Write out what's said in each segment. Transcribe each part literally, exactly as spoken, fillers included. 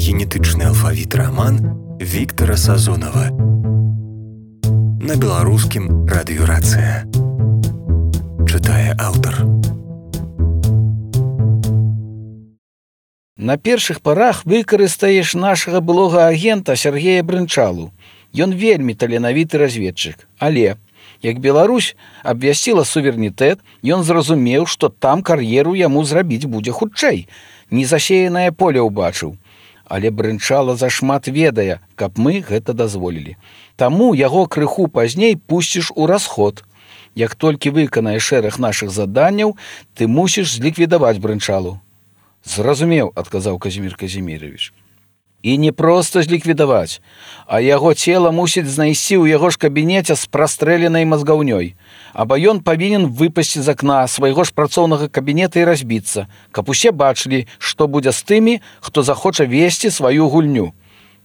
генетычны алфавіт раман Віктара Сазонава. На беларускім радыёрацыя. Чытае аўтар. На першых парах выкарыстаеш нашага былога агента Сергея Брынчалу. Ён вельмі таленавіты разведчык, але, як Беларусь абвясціла суверэнітэт, ён зразумеў, што там кар'еру яму зрабіць будзе хутчэй. Незасеянае поле ўбачыў. Але Брынчала зашмат ведае, каб мы гэта дазволілі. Таму яго крыху пазней пусціш у расход. Як толькі выканаеш шэраг нашых заданняў, ты мусіш зліквідаваць Брынчалу. Зразумеў, адказаў Казімір Казімірович. І не проста зліквідаваць, а яго цела мусіць знайсці ў яго ж кабінеце з прастрэленай мазгаўнёй. Аба ён павінен выпасці з акна свайго ж працоўнага кабінета і разбіцца, каб усе бачылі, што будзе з тымі, хто захоча весці сваю гульню.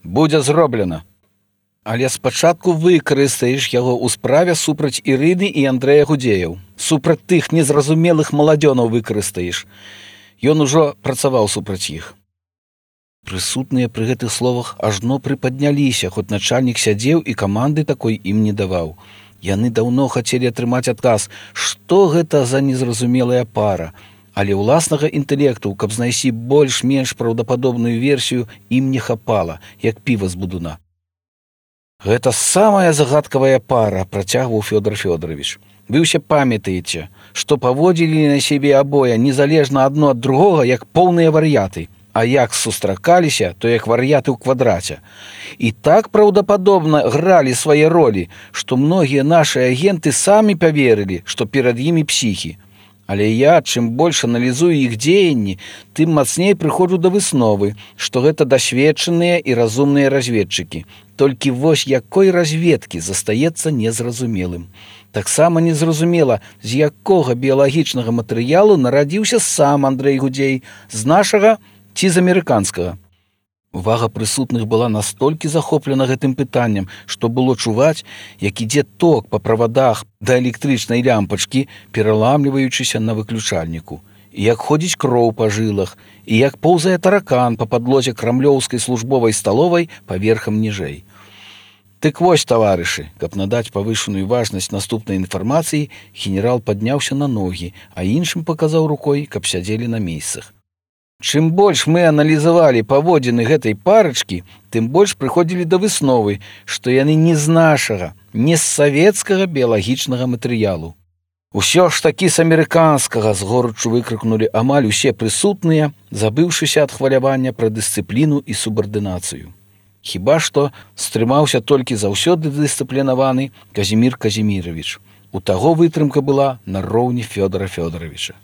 Будзе зроблена. Але спачатку выкарыстаеш яго ў справе супраць Ірыны і Андрэя Гудзеяў. Супраць тых незразумелых маладзёнаў выкарыстаеш. Ён ужо працаваў супраць іх. Прысутныя пры гэтых словах ажно прыпадняліся, хоць начальнік сядзеў і каманды такой ім не даваў. Яны даўно хацелі атрымаць адказ, што гэта за незразумелая пара, але ўласнага інтэлекту, каб знайсці больш-менш праўдападобную версію, ім не хапала, як піва з будуна. Гэта самая загадкавая пара, працягваў Фёдор Фёдорович. Вы ўсе памятаеце, што паводзілі на сябе абое незалежна адно ад другога, як поўныя вар'яты. А як сустракаліся, то як вар'яты ў квадраце. І так праўдападобна гралі свае ролі, што многія нашы агенты самі паверылі, што перад імі псіхі. Але я, чым больш аналізую іх дзеянні, тым мацней прыходжу да высновы, што гэта дасведчаныя і разумныя разведчыкі. Толькі вось якой разведкі застаецца незразумелым. Таксама незразумела, з якога біялагічнага матэрыялу нарадзіўся сам Андрэй Гудзей, з нашага ці з амерыканскага. Увага прысутных была настолькі захоплена гэтым пытаннем, што было чуваць, як ідзе ток па правадах да электрычнай лямпачкі, пераламліваючыся на выключальніку, і як ходзіць кроў па жылах, і як поўзае таракан па падлозе крамлёўскай службовай сталовай паверхам ніжэй. Дык вось, таварышы, каб надаць павышаную важнасць наступнай інфармацыі, генерал падняўся на ногі, а іншым паказаў рукой, каб сядзелі на месцах. Чым больш мы аналізавалі паводзіны гэтай парачкі, тым больш прыходзілі да высновы, што яны не з нашага, не з савецкага біялагічнага матэрыялу. Усё ж такі з амерыканскага, з горычу выкрыкнулі амаль усе прысутныя, забыўшыся ад хвалявання пра дысцыпліну і субардынацыю. Хіба што стрымаўся толькі заўсёды дысцыплінаваны Казімір Казімірович. У таго вытрымка была на роўні Фёдора Фёдоровича.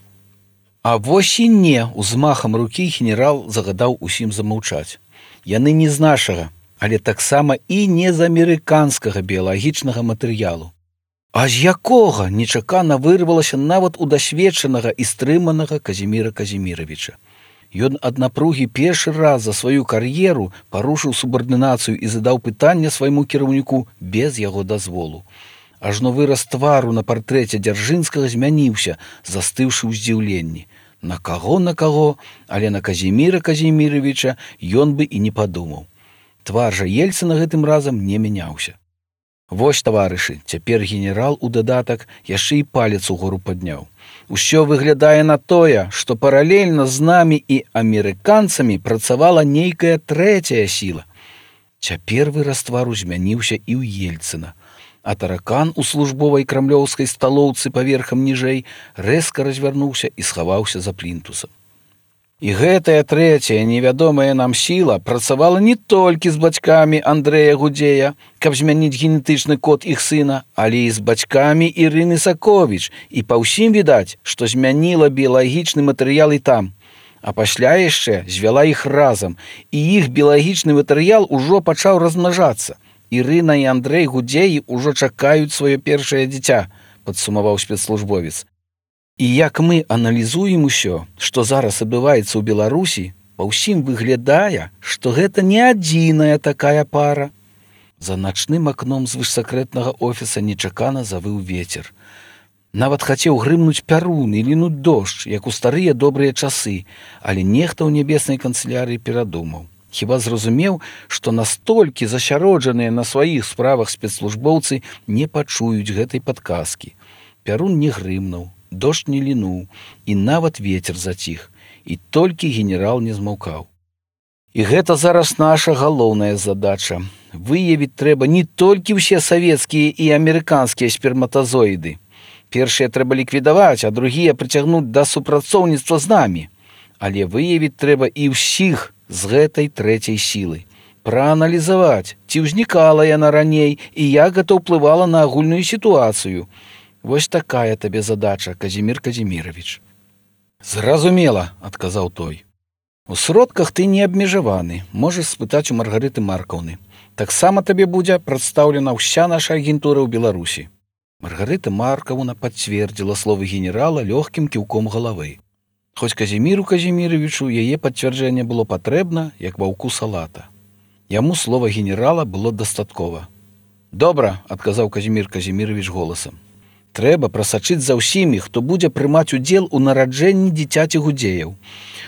А вось і не, узмахам рукі генерал загадаў усім замаўчаць. Яны не з нашага, але таксама і не з амерыканскага біялагічнага матэрыялу. А з якога нечакана вырвалася нават у дасведчанага і стрыманага Казіміра Казіміровича. Ён ад напругі першы раз за сваю кар'еру парушыў субардынацыю і задаў пытанне свайму кіраўніку без яго дазволу. Ажно выраз твару на партрэце Дзяржынскага змяніўся, застыўшы ў здзіўленні. На каго, на каго, але на Казіміра Казіміровича ён бы і не падумаў. Твар жа Ельцына гэтым разам не мяняўся. Вось, таварышы, цяпер генерал у дадатак яшчэ і палец угору падняў. Усё выглядае на тое, што паралельна з намі і амерыканцамі працавала нейкая трэцяя сіла. Цяпер выраз твару змяніўся і ў Ельцына. А таракан у службовай крамлёўскай сталоўцы паверхам ніжэй рэзка развярнуўся і схаваўся за плінтусам. І гэтая трэцяя невядомая нам сіла працавала не толькі з бацькамі Андрэя Гудзея, каб змяніць генетычны код іх сына, але і з бацькамі Ірыны Саковіч, і па ўсім відаць, што змяніла біялагічны матэрыял і там. А пасля яшчэ звяла іх разам, і іх біялагічны матэрыял ужо пачаў размнажацца. Ірына і Андрэй Гудзеі ўжо чакаюць сваё першае дзіця, падсумаваў спецслужбовец. І як мы аналізуем усё, што зараз адбываецца ў Беларусі, па ўсім выглядае, што гэта не адзіная такая пара. За начным акном звышсакрэтнага офіса нечакана завыў вецер. Нават хацеў грымнуць пярун і лінуць дождж, як у старыя добрыя часы, але нехта ў нябеснай канцылярыі перадумаў. Хіба зразумеў, што настолькі засяроджаныя на сваіх справах спецслужбоўцы не пачуюць гэтай падказкі. Пярун не грымнуў, дождж не лінуў, і нават вецер заціх, і толькі генерал не змаўкаў. І гэта зараз наша галоўная задача. Выявіць трэба не толькі ўсе савецкія і амерыканскія сперматазоіды. Першыя трэба ліквідаваць, а другія прыцягнуць да супрацоўніцтва з намі. Але выявіць трэба і ўсіх з гэтай трэцяй сілы. Прааналізаваць, ці ўзнікала яна раней і як гэта ўплывала на агульную сітуацыю. Вось такая табе задача, Казімір Казімірович. Зразумела, адказаў той. У сродках ты не абмежаваны, можаш спытаць у Маргарыты Маркаўны. Таксама табе будзе прадстаўлена ўся наша агентура ў Беларусі. Маргарыта Маркаўна пацвердзіла словы генерала лёгкім кіўком галавы. Хоць Казіміру Казіміровичу яе пацвярджэнне было патрэбна, як ваўку салата. Яму слова генерала было дастаткова. «Добра», – адказаў Казімір Казімірович голасам. «Трэба прасачыць за ўсімі, хто будзе прымаць удзел у нараджэнні дзіцяці гудзеяў.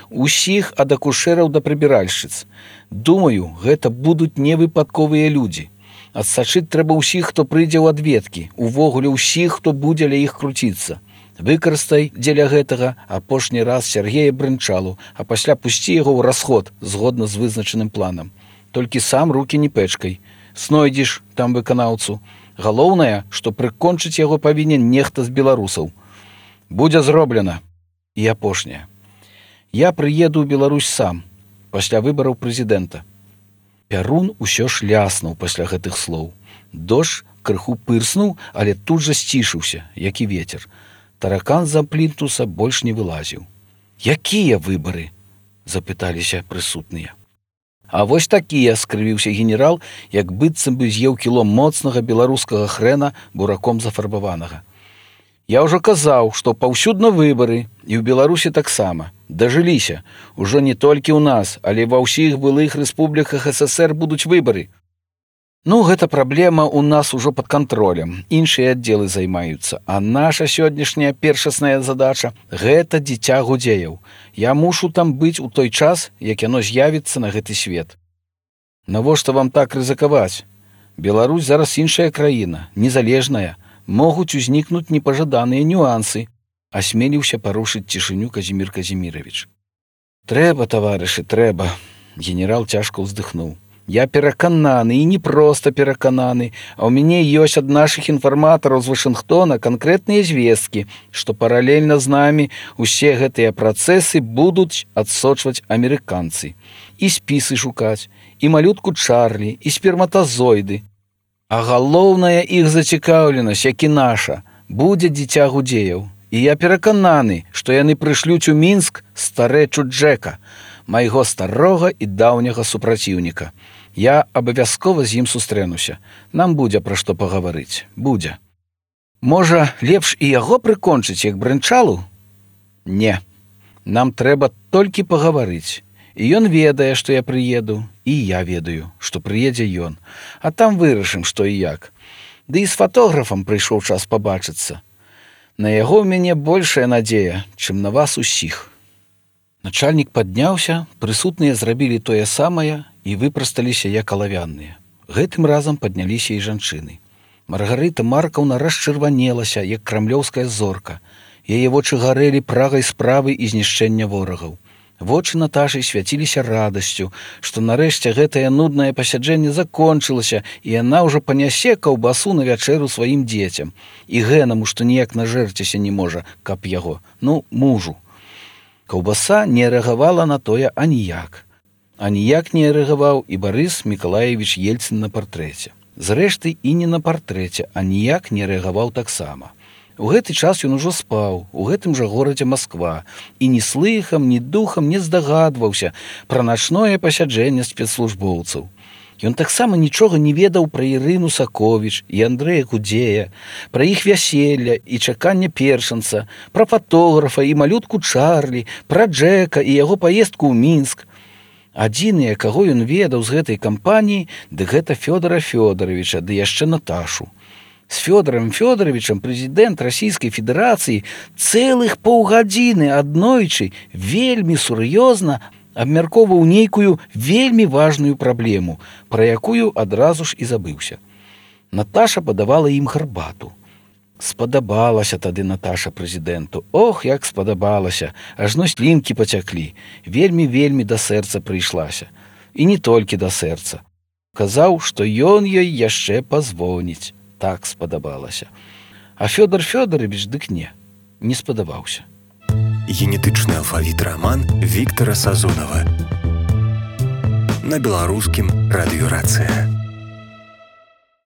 Усіх ад акушэраў да прыбіральшчыц. Думаю, гэта будуць невыпадковыя людзі. Адсачыць трэба ўсіх, хто прыйдзе ў адведкі, увогуле ўсіх, хто будзе ля іх круціцца. Выкарыстай дзеля гэтага апошні раз Сяргея Брынчалу, а пасля пусці яго ў расход згодна з вызначаным планам. Толькі сам рукі не пэчкай. Знойдзеш там выканаўцу. Галоўнае, што прыкончыць яго павінен нехта з беларусаў. Будзе зроблена. І апошняе. Я прыеду ў Беларусь сам, пасля выбараў прэзідэнта». Пярун усё ж ляснуў пасля гэтых слоў. Дождж крыху пырснуў, але тут жа сцішыўся, як і вецер. Таракан з-за плінтуса больш не вылазіў. «Якія выбары?» – запыталіся прысутныя. «А вось такія», – скрывіўся генерал, як быццам бы з'еў кіло моцнага беларускага хрэна бураком зафарбаванага. «Я ўжо казаў, што паўсюдна выбары, і ў Беларусі таксама. Дажыліся. Ужо не толькі ў нас, але ва ўсіх былых рэспубліках ССР будуць выбары. Ну, гэта праблема ў нас ужо пад кантролем. Іншыя аддзелы займаюцца. А наша сённяшняя першасная задача – гэта дзіця гудзеяў. Я мушу там быць у той час, як яно з'явіцца на гэты свет. Навошта вам так рызыкаваць? Беларусь зараз іншая краіна, незалежная. Могуць узнікнуць непажаданыя нюансы. Асмеліўся парушыць цішыню Казімір Казімірович. «Трэба, таварышы, трэба», – генерал цяжка ўздыхнуў. «Я перакананы, і не проста перакананы, а ў мяне ёсць ад нашых інфарматараў з Вашынгтона канкрэтныя звесткі, што паралельна з намі усе гэтыя працэсы будуць адсочваць амерыканцы. І спісы шукаць, і малютку Чарлі, і сперматазоіды. А галоўная іх зацікаўленасць, як і наша, будзе дзіця гудзеяў. І я перакананы, што яны прышлюць у Мінск старэчу Джека, майго старога і даўняга супраціўніка. Я абавязкова з ім сустрэнуся. Нам будзе пра што пагаварыць. Будзе. Можа, лепш і яго прыкончыць, як Брынчалу? Не. Нам трэба толькі пагаварыць. І ён ведае, што я прыеду, і я ведаю, што прыедзе ён. А там вырашым, што і як. Ды і з фатографам прыйшоў час пабачыцца. На яго ў мяне большая надзея, чым на вас усіх». Начальнік падняўся, прысутныя зрабілі тое самае і выпрасталіся як алавянныя. Гэтым разам падняліся і жанчыны. Маргарыта Маркаўна расчырванелася, як крамлёўская зорка. Яе вочы гарэлі прагай справы і знішчэння ворагаў. Вочы Наташы свяціліся радасцю, што нарэшце гэтае нуднае пасяджэнне закончылася, і яна ўжо панясе каўбасу на вячэру сваім дзецям. І гэнаму, што ніяк нажэрціся не можа, каб яго, ну, мужу. Каўбаса не рэагавала на тое аніяк. Аніяк не рэагаваў і Барыс Мікалаевіч Ельцын на партрэце. Зрэшты, і не на партрэце аніяк не рэагаваў таксама. У гэты час ён ужо спаў, у гэтым жа горадзе Масква, і ні слыхам, ні духам не здагадваўся пра начное пасяджэнне спецслужбоўцаў. Ён таксама нічога не ведаў пра Ірыну Саковіч і Андрэя Гудзея, пра іх вяселля і чаканне першанца, пра фатографа і малютку Чарлі, пра Джека і яго паездку ў Мінск. Адзіныя, каго ён ведаў з гэтай кампаніі, ды гэта Фёдара Фёдаровича, ды яшчэ Наташу. З Фёдорам Фёдоровичам прэзідэнт Расійскай Федэрацыі цэлых паўгадзіны аднойчы вельмі сур'ёзна абмяркоўваў нейкую вельмі важную праблему, пра якую адразу ж і забыўся. Наташа падавала ім гарбату. Спадабалася тады Наташа прэзідэнту. Ох, як спадабалася, ажно слінкі пацяклі. Вельмі-вельмі да сэрца прыйшлася. І не толькі да сэрца. Казаў, што ён ёй яшчэ пазвоніць. Так спадабалася. А Фёдор Фёдорович дык не, не спадабаўся. Генетычны алфавіт раман Віктара Сазонава. На беларускім радыё «Рацыя».